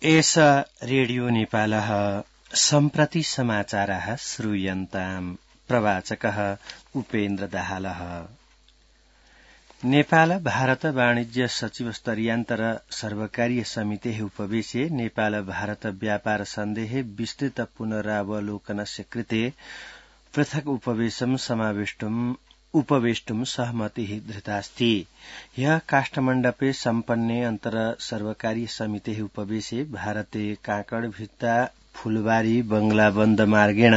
एष रेडियो नेपालः सम्प्रति समाचारः श्रूयन्ताम् प्रवाचकः उपेन्द्र दाहालः। नेपाल भारत वाणिज्य सचिव स्तरीयान्तर सर्वकारीय समितेः उपवेशे नेपाल भारत व्यापार सन्धेः विस्तृत पुनरावलोकनस्य कृते पृथक् उपवेशं उपवेष्टुं सहमतिः धृतास्ति। ह्यः काष्ठमण्डपे सम्पन्ने अन्तर सर्वकारीय समितेः उपवेशे भारते काँकडभित्ता फूलबारी बंगलाबन्द मार्गेण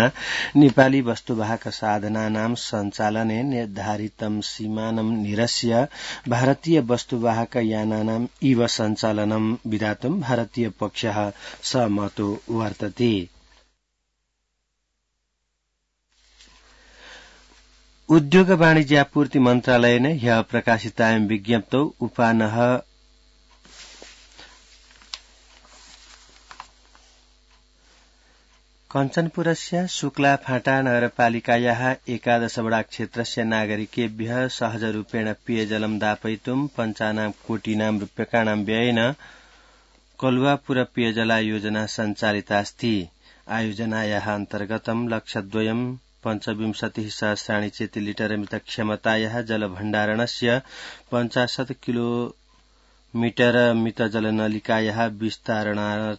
नेपाली वस्तुवाहक साधनानां सञ्चालने निर्धारितं सीमानं निरस्य भारतीय वस्तुवाहक यानानां इव सञ्चालनं विधातुं भारतीय पक्षः सहमतो वर्तते। उद्योग वाणिज्यापूर्ति मन्त्रालयेन ह्यः प्रकाशितायां विज्ञप्तौ उपानः कञ्चनपुरस्य शुक्लाफाटा नगरपालिकायाः 11 वडा क्षेत्रस्य नागरिकेभ्यः सहजरूपेण पेयजलं दापयितुं 95 कोटीनां रूप्यकाणां व्ययेन कलुवापुर पेयजला योजना सञ्चालितास्ति। आयोजनायाः अन्तर्गतं लक्षद्वयं 25,000 चेतिलिटर मितक्षमतायाः जलभण्डारणस्य 50 किलोमीटर मितजलनलिकायाः विस्तारणास्य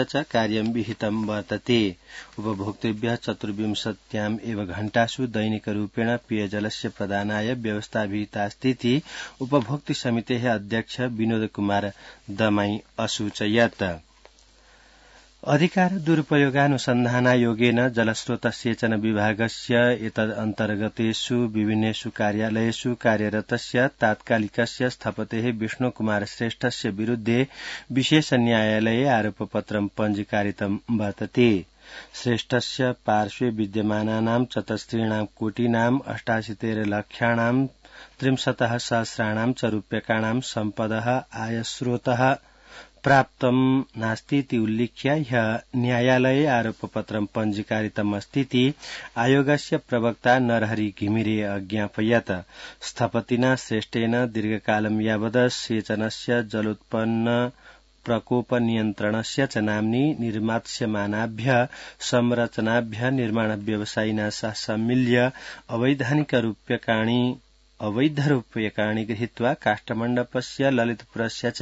च कार्यं विहितं वर्तते। उपभोक्तृभ्यः 24 एव घण्टासु दैनिकरूपेण पेयजलस्य प्रदानाय व्यवस्था विहितास्तीति उपभोक्तृ समितेः अध्यक्ष विनोद कुमार दमाई असूचयत्। अधिकार दुरुपयोगानुसन्धानायोगेन जलस्रोत सेचन विभागस्य एतदन्तर्गतेषु विभिन्नेषु कार्यालयेषु कार्यरतस्य तात्कालिकस्य स्थपतेः विष्णुकुमार श्रेष्ठस्य विरुद्धे विशेष न्यायालये आरोपपत्रं पञ्जीकारितं वर्तते। श्रेष्ठस्य पार्श्वे विद्यमानानां 74 कोटीनां 88 लक्षाणां 63,000 च रूप्यकाणां सम्पदः आयस्रोतः प्राप्तं नास्तीति उल्लिख्य ह्यः न्यायालये आरोपपत्रं पञ्जीकारितम् अस्तीति आयोगस्य प्रवक्ता नरहरि घिमिरे अज्ञापयत्। स्थपतिना श्रेष्ठेन दीर्घकालं यावत् सेचनस्य जलोत्पन्न प्रकोप नियन्त्रणस्य च नाम्नि निर्मास्यमानाभ्यः संरचनाभ्यः निर्माण व्यवसायिना सह सम्मिल्य अवैधरूप्यकाणि गृहीत्वा काष्ठमण्डपस्य ललितपुरस्य च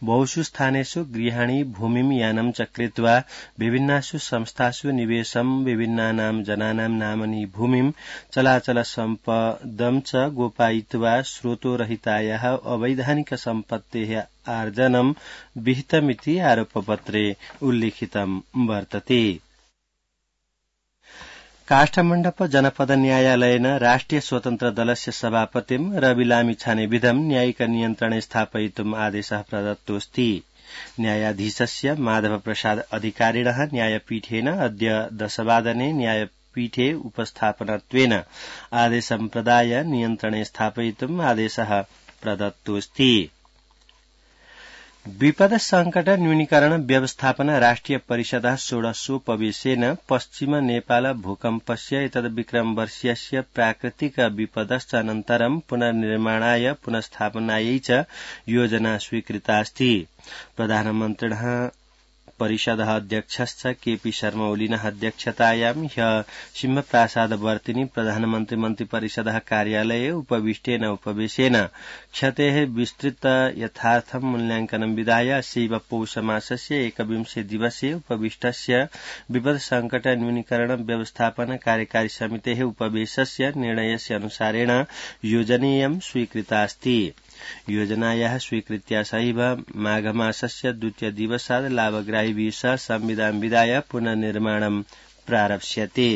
बहुषु स्थानेषु गृहाणि भूमिं यानं च कृत्वा विभिन्नासु संस्थासु निवेशं विभिन्नानां जनानां नामनि भूमिं चलाचल सम्पदं च गोपयित्वा स्रोतोरहितायाः अवैधानिक सम्पत्तेः आर्जनं विहितमिति आरोपपत्रे उल्लिखितं वर्तते। काष्ठमण्डप जनपद न्यायालयेन राष्ट्रिय स्वतन्त्र दलस्य सभापतिं रवि लामिछानेविधं न्यायिक नियन्त्रणे स्थापयितुम् आदेशः प्रदत्तोऽस्ति। न्यायाधीशस्य माधव प्रसाद अधिकारिणः न्यायपीठेन अद्य 10 वादने न्यायपीठे उपस्थापनत्वेन आदेशं प्रदाय नियन्त्रणे स्थापयितुम् आदेशः प्रदत्तोऽस्ति। विपद संकट न्यूनीकरण व्यवस्थापन राष्ट्रिय परिषदः 16उपवेशेन पश्चिम नेपाल भूकम्पस्य एतद्विक्रम वर्षीयस्य प्राकृतिक विपदश्च अनन्तरं पुनर्निर्माणाय पुनर्स्थापनायै च योजना स्वीकृतास्ति। प्रधानमन्त्रिणः परिषदः अध्यक्षश्च केपी शर्मा ओलीनः अध्यक्षतायां ह्यः सिंहप्रासादवर्तिनि प्रधानमन्त्री मन्त्रिपरिषदः कार्यालये उपविष्टेन उपवेशेन क्षतेः विस्तृत यथार्थं मूल्याङ्कनं विधाय अस्यैव पौषमासस्य 21 दिवसे उपविष्टस्य विपद संकट न्यूनीकरण व्यवस्थापन कार्यकारी समितेः उपवेशस्य निर्णयस्य अनुसारेण योजनेयं स्वीकृतास्ति। योजनायाः स्वीकृत्या सहैव माघमासस्य 2 दिवसात् लाभग्राहिभिः सह संविधान विधाय पुनर्निर्माणं प्रारप्स्यते।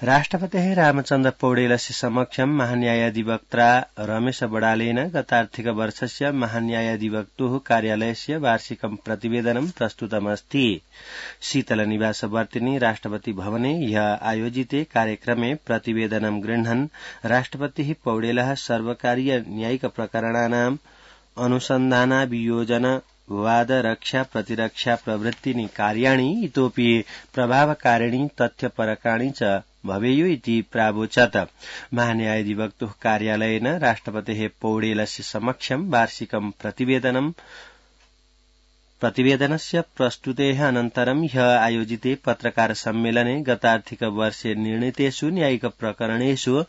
राष्ट्रपतेः रामचन्द्र पौडेलस्य समक्षं महान्यायाधिवक्ता रमेश बडालेन गतार्थिक वर्षस्य महान्यायाधिवक्तुः कार्यालयस्य वार्षिकं प्रतिवेदनं प्रस्तुतमस्ति। शीतलनिवासवर्तिनि राष्ट्रपति भवने ह्यः आयोजिते कार्यक्रमे प्रतिवेदनं गृह्णन् राष्ट्रपतिः पौडेलः सर्वकारीय न्यायिक प्रकरणानाम् अनुसन्धानाभियोजन वाद रक्षा प्रतिरक्षा प्रवृत्तीनि कार्याणि इतोपि प्रभावकारिणी तथ्यपरकाणि च भवेयु इति प्रावोचत्। महान्यायाधिवक्तुः कार्यालयेन राष्ट्रपतेः पौडेलस्य समक्षं वार्षिकं प्रतिवेदनं प्रतिवेदनस्य प्रस्तुतेः अनन्तरं ह्यः आयोजिते पत्रकार सम्मेलने गतार्थिक वर्षे निर्णीतेषु न्यायिक प्रकरणेषु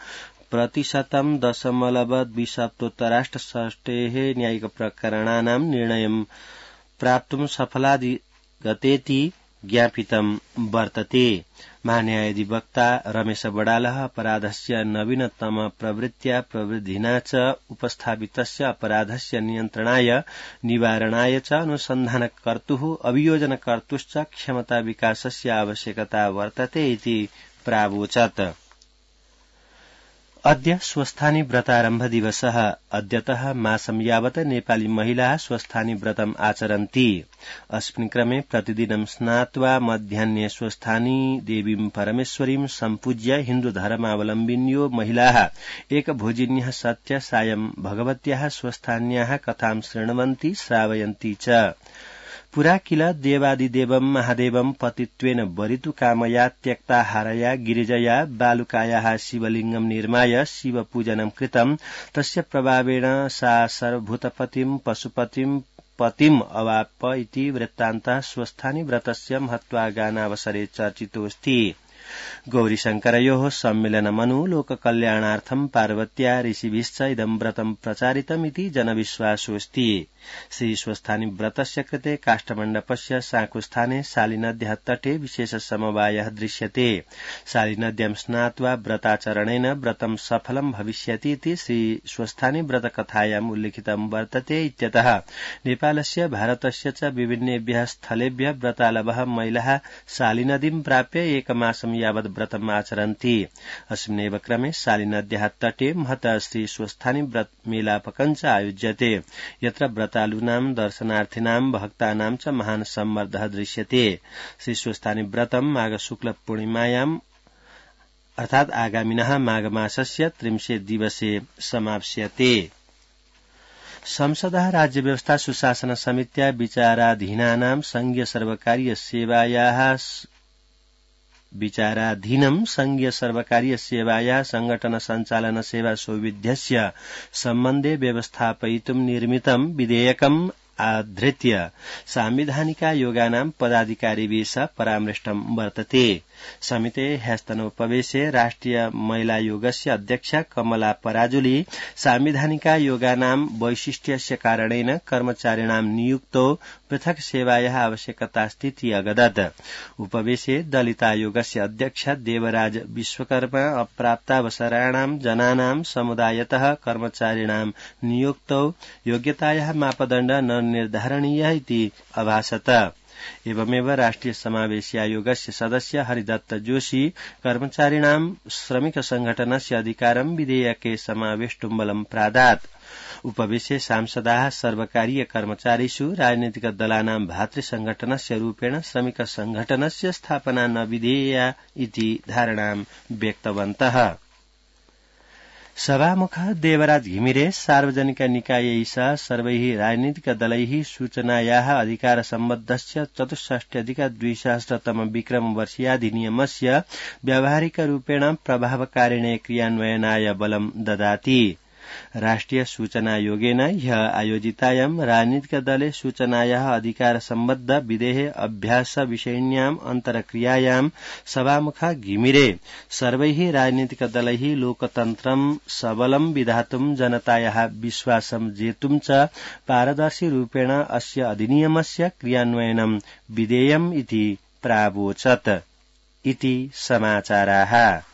%.2% न्यायिक प्रकरणानां निर्णयं प्राप्तुं सफलाधिगतेति ज्ञापितं वर्तते। महान्यायाधिवक्ता रमेश बडालः अपराधस्य नवीनतम प्रवृत्त्या प्रवृद्धिना च उपस्थापितस्य अपराधस्य नियन्त्रणाय निवारणाय च अनुसन्धानकर्तुः अभियोजनकर्तुश्च क्षमता विकासस्य आवश्यकता वर्तते इति प्रावोचत्। अद्य स्वस्थानी व्रतारम्भ दिवसः। अद्यतः मासं यावत् नेपाली महिलाः स्वस्थानी व्रतम् आचरन्ति। अस्मिन् क्रमे प्रतिदिनं स्नात्वा मध्याह्ने स्वस्थानी देवीं परमेश्वरीं सम्पूज्य हिन्दू धर्मावलम्बिन्यो महिलाः एकभोजिन्यः सत्य सायं भगवत्याः स्वस्थान्याः कथां शृण्वन्ति श्रावयन्ति च। पुरा किल देवादिदेवं महादेवं पतित्वेन वरितु कामया त्यक्ताहारया गिरिजया बालुकायाः शिवलिङ्गं निर्माय शिवपूजनं कृतं तस्य प्रभावेण सा सर्वभूतपतिं पशुपतिं पतिम् अवाप इति वृत्तान्तः स्वस्थानी व्रतस्य महत्वागानावसरे चर्चितोऽस्ति। गौरीशंकरयोः सम्मेलनमनु लोककल्याणार्थं पार्वत्या ऋषिभिश्च इदं व्रतं प्रचारितमिति जनविश्वासोऽस्ति। श्रीस्वस्थानी व्रतस्य कृते काष्ठमण्डपस्य साकुस्थाने शालिनद्याः तटे विशेष समवायः दृश्यते। शालिनद्यां स्नात्वा व्रताचरणेन व्रतं सफलं भविष्यति इति श्रीस्वस्थानी व्रतकथायाम् उल्लिखितं वर्तते इत्यतः नेपालस्य भारतस्य च विभिन्नेभ्यः स्थलेभ्यः व्रतालवः महिलाः शालिनदीं प्राप्य एकमासं यावत् व्रतम् आचरन्ति। अस्मिन्नेव क्रमे शालिनद्याः तटे महतः श्रीस्वस्थानी व्रत मेलापकं च आयोज्यते यत्र व्रतालूनां दर्शनार्थिनां भक्तानां च महान् सम्मर्दः दृश्यते। श्रीस्वस्थानी व्रतं माघ शुक्ल पूर्णिमायाम् अर्थात् आगामिनः माघमासस्य 30 दिवसे समाप्स्यते। संसदः राज्यव्यवस्था सुशासन समित्या विचाराधीनानां संघीय सर्वकारीय सेवायाः संघटन संचालन सेवा सौविध्यस्य सम्बन्धे व्यवस्थापयितुं निर्मितं विधेयकम् आधृत्य सांविधानिकायोगानां पदाधिकारिभिः परामृष्टं वर्तते। समिते ह्यस्तनोपवेशे राष्ट्रिय महिलायोगस्य अध्यक्षा कमला पराजुली सांविधानिकायोगानां वैशिष्ट्यस्य कारणेन कर्मचारिणां नियुक्तौ पृथक् सेवायाः आवश्यकतास्तीति अगदत्। उपवेशे दलितायोगस्य अध्यक्ष देवराज विश्वकर्मा अप्राप्तावसराणां जनानां समुदायतः कर्मचारिणां नियुक्तौ योग्यतायाः मापदण्ड न निर्धारणीयः इति अभासत। एवमेव राष्ट्रिय समावेशी आयोगस्य सदस्य हरिदत्त जोशी कर्मचारिणां श्रमिक संघटनस्य अधिकारं विधेयके समावेष्टुं बलं प्रादात्। उपवेशे सांसदाः सर्वकारीय कर्मचारिषु राजनीतिक दलानां भातृसंघटनस्य रूपेण श्रमिक संघटनस्य स्थापना न विधेया इति धारणां व्यक्तवन्तः। सभामुखः देवराज घिमिरे सार्वजनिक निकायैः सह सर्वैः राजनीतिक दलैः सूचनायाः अधिकार सम्बद्धस्य 64+2000 विक्रमवर्षीयाधिनियमस्य व्यावहारिकरूपेण प्रभावकारिणे क्रियान्वयनाय बलं ददाति। राष्ट्रिय सूचनायोगेन ह्यः आयोजितायां राजनीतिक दले सूचनायाः अधिकार सम्बद्ध विधेः अभ्यास विषयिण्याम् अन्तरक्रियायां सभामुखः घिमिरे सर्वैः राजनीतिक दलैः लोकतन्त्रं सबलं विधातुं जनतायाः विश्वासं जेतुं च पारदर्शी रूपेण अस्य अधिनियमस्य क्रियान्वयनं विधेयम् इति प्रावोचत् इति समाचाराः।